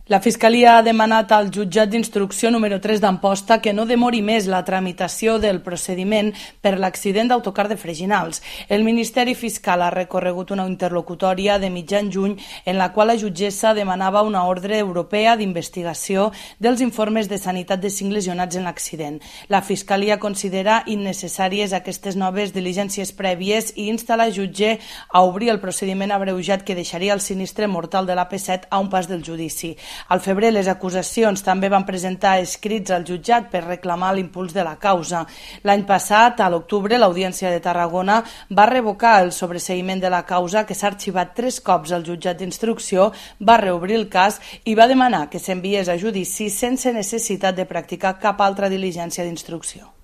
La Fiscalia ha demanat al jutjat d'instrucció número 3 d'Amposta que no demori més la tramitació del procediment per l'accident d'autocar de Freginals. El Ministeri Fiscal ha recorregut una interlocutòria de mitjan juny en la qual la jutgessa demanava una ordre europea d'investigació dels informes de sanitat de 5 lesionats en l'accident. La Fiscalia considera innecessàries aquestes noves diligències prèvies i insta la jutge a obrir el procediment abreujat que deixaria el sinistre mortal de l'AP7 a un pas del judici. Al febrer, les acusacions també van presentar escrits al jutjat per reclamar l'impuls de la causa. L'any passat, a l'octubre, l'Audiència de Tarragona va revocar el sobreseïment de la causa, que s'ha arxivat 3 cops al jutjat d'instrucció, va reobrir el cas i va demanar que s'enviés a judici sense necessitat de practicar cap altra diligència d'instrucció.